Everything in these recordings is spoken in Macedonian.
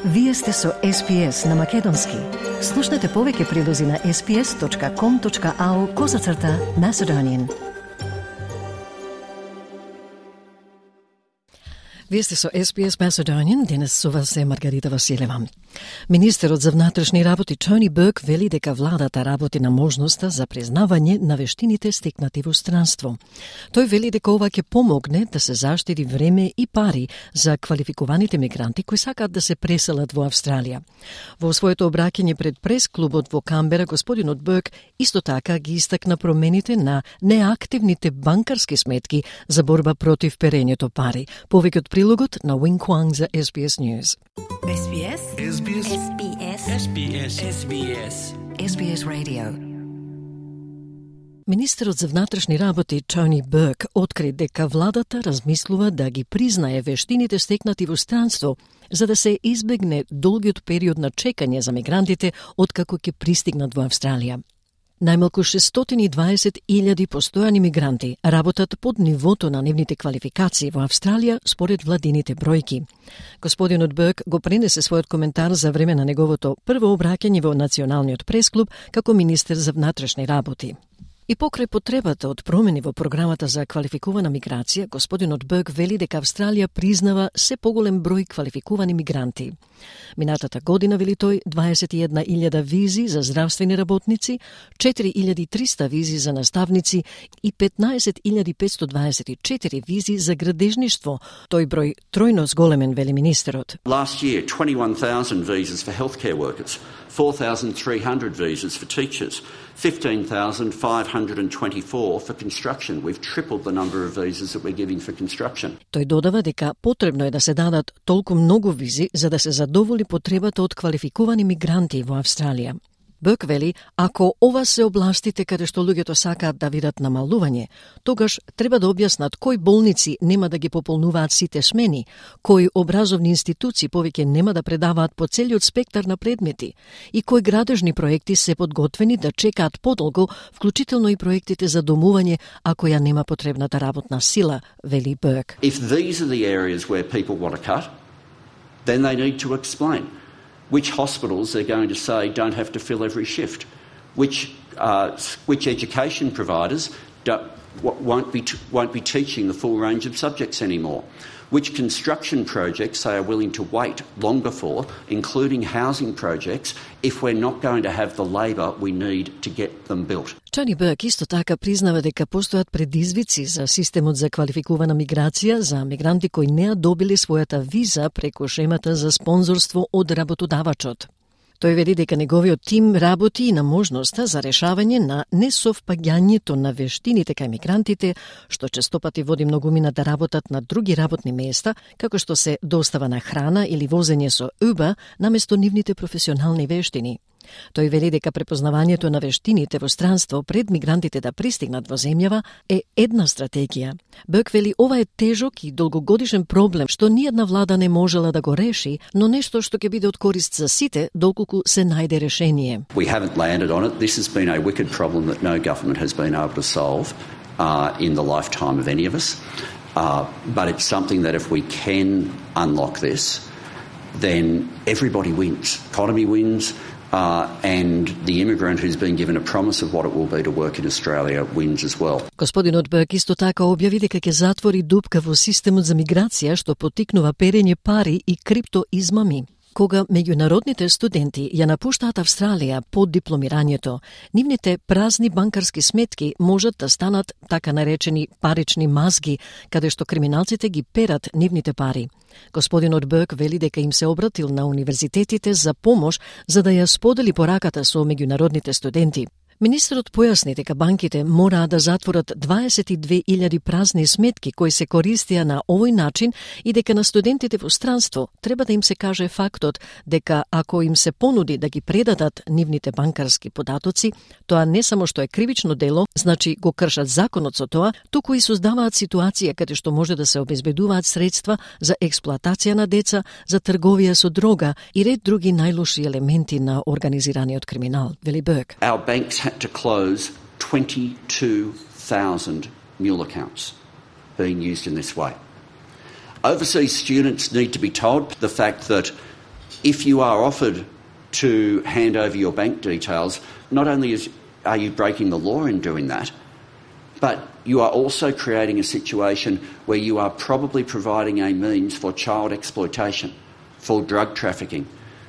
Вие сте со SPS на Македонски. Слушнете повеќе прилози на sps.com.au/Macedonian. Вие сте со SPS Macedonian, денес со вас е Маргарита Василева. Министерот за внатрешни работи Тони Бурк вели дека владата работи на можноста за признавање на вештините стекнати во странство. Тој вели дека ова ќе помогне да се заштеди време и пари за квалификуваните мигранти кои сакаат да се преселат во Австралија. Во своето обраќање пред прес-клубот во Камбера, господинот Бурк исто така ги истакна промените на неактивните банкарски сметки за борба против перењето пари. Повеќе од прилогот на Wing Kwang за SBS News. SBS SBS SBS SBS SBS SBS Radio. Министерот за внатрешни работи Тони Бурк откри дека владата размислува да ги признае вештините стекнати во странство, за да се избегне долгиот период на чекање за мигрантите откако ќе пристигнат во Австралија. Најмалку 620.000 постојани мигранти работат под нивото на нивните квалификации во Австралија според владините бројки. Господинот Бурк го пренесе својот коментар за време на неговото прво обраќање во Националниот пресклуб како министер за внатрешни работи. И покрај потребата од промени во програмата за квалификувана миграција, господинот Бурк вели дека Австралија признава се поголем број квалификувани мигранти. Минатата година, вели тој, 21.000 визи за здравствени работници, 4.300 визи за наставници и 15.524 визи за градежништво. Тој број тројно зголемен, вели министерот. Last year, 21,000 visas for healthcare workers, 4,300 visas for teachers, 15,524 for construction. We've tripled the number of visas that we're giving for construction. Тој додава дека потребно е да се дадат толку многу визи за да се задоволи потребата од квалификувани мигранти во Австралија. Бурк вели, ако ова се областите каде што луѓето сакаат да видат намалување, тогаш треба да објаснат кои болници нема да ги пополнуваат сите смени, кои образовни институции повеќе нема да предаваат по целиот спектар на предмети и кои градежни проекти се подготвени да чекаат подолго, вклучително и проектите за домување ако ја нема потребната работна сила, вели Бурк. If these are the areas where people want to cut, then they need to explain which hospitals they're going to say don't have to fill every shift, which education providers won't be teaching the full range of subjects anymore, which construction projects they are willing to wait longer for, including housing projects, if we're not going to have the labour we need to get them built. Тони Бурк исто така признава дека постојат предизвици за системот за квалификувана миграција за мигранти кои не ја добили својата виза преку шемата за спонзорство од работодавачот. Тој вели дека неговиот тим работи и на можноста за решавање на несовпаѓањето на вештините кај мигрантите, што честопати води многумина да работат на други работни места, како што се достава на храна или возење со Uber, наместо нивните професионални вештини. Тој вели дека препознавањето на вештините во странство пред мигрантите да пристигнат во земјава е една стратегија. Бурк вели ова е тежок и долгогодишен проблем што ниедна влада не можела да го реши, но нешто што ќе биде од корист за сите доколку се најде решение. We haven't landed on it. This has been a wicked problem that no government has been able to solve in the lifetime of any of us. But it's something that if we can unlock this, then everybody wins. Economy wins. And the immigrant who's been given a promise of what it will be to work in Australia wins as well. Господинот Бурк исто така објави дека ќе затвори дупка во системот за миграција што поттикнува перење пари и криптоизмами. Кога меѓународните студенти ја напуштаат Австралија по дипломирањето, нивните празни банкарски сметки можат да станат така наречени парични мазги, каде што криминалците ги перат нивните пари. Господинот Бурк вели дека им се обратил на универзитетите за помош за да ја сподели пораката со меѓународните студенти. Министерот појасни дека банките мораа да затворат 22.000 празни сметки кои се користија на овој начин и дека на студентите во странство треба да им се каже фактот дека ако им се понуди да ги предадат нивните банкарски податоци, тоа не само што е кривично дело, значи го кршат законот со тоа, туку и создаваат ситуација каде што може да се обезбедуваат средства за експлоатација на деца, за трговија со дрога и ред други најлоши елементи на организираниот криминал, вели Бурк. Our banks had to close 22,000 mule accounts being used in this way. Overseas students need to be told the fact that if you are offered to hand over your bank details, not only are you breaking the law in doing that, but you are also creating a situation where you are probably providing a means for child exploitation, for drug trafficking,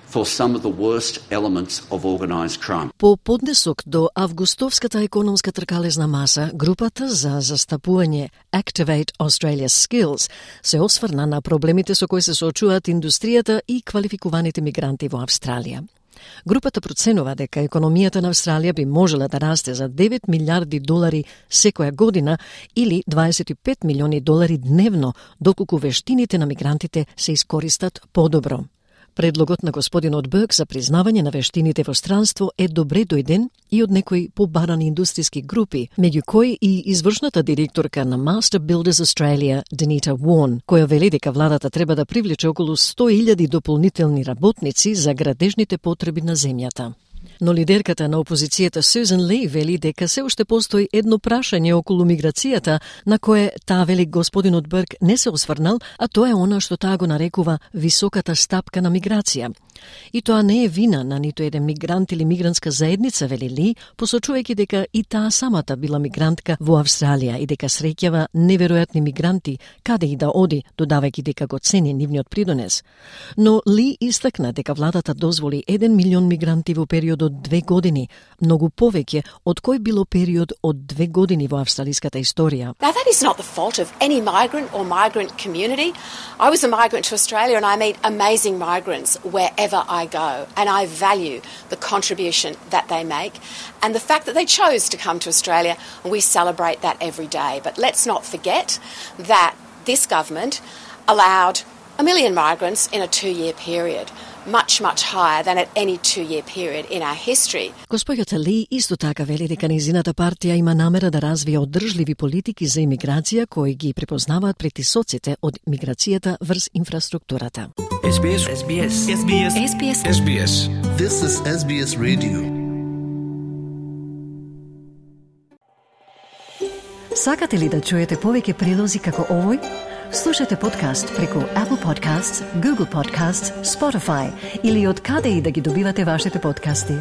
for some of the worst elements of organised crime. По поднесок до августовската економска тркалезна маса, групата за застапување Activate Australia's Skills се осврна на проблемите со кои се соочуваат индустријата и квалификуваните мигранти во Австралија. Групата проценува дека економијата на Австралија би можела да расте за 9 милиарди долари секоја година или 25 милиони долари дневно, доколку вештините на мигрантите се искористат подобро. Предлогот на господинот Бърк за признавање на вештините во странство е добре дојден и од некои побарани индустријски групи, меѓу кои и извршната директорка на Master Builders Australia, Denita Warren, која вели дека владата треба да привлече околу 100.000 дополнителни работници за градежните потреби на земјата. Но лидерката на опозицијата Сюзан Ли вели дека се уште постои едно прашање околу миграцијата на кое таа вели господинот Бърк не се осврнал, а тоа е она што таа го нарекува високата стапка на миграција. И тоа не е вина на ниту еден мигрант или мигрантска заедница, вели Ли, посочувајќи дека и таа самата била мигрантка во Австралија и дека среќава неверојатни мигранти каде и да оди, додавајќи дека го цени нивниот придонес. Но Ли истакна дека владата дозволи 1 милион мигранти во период од 2 години, многу повеќе од кој било период од 2 години во австралиската историја. Now that is not the fault of any migrant or migrant community. I was a migrant to Australia and I meet amazing migrants wherever I go, and I value the contribution that they make and the fact that they chose to come to Australia, and we celebrate that every day. But let's not forget that this government allowed 1 million migrants in a 2-year period, much higher than at any 2-year period in our history. Госпоѓата Ли исто така вели дека нејзината партија има намера да развие одржливи политики за имиграција кои ги препознаваат притисоците од миграцијата врз инфраструктурата. SBS. SBS. SBS. SBS. SBS. This is SBS Radio. Сакате ли да чуете повеќе прилози како овој? Слушате подкаст преку Apple Podcasts, Google Podcasts, Spotify или од каде и да ги добивате вашите подкасти.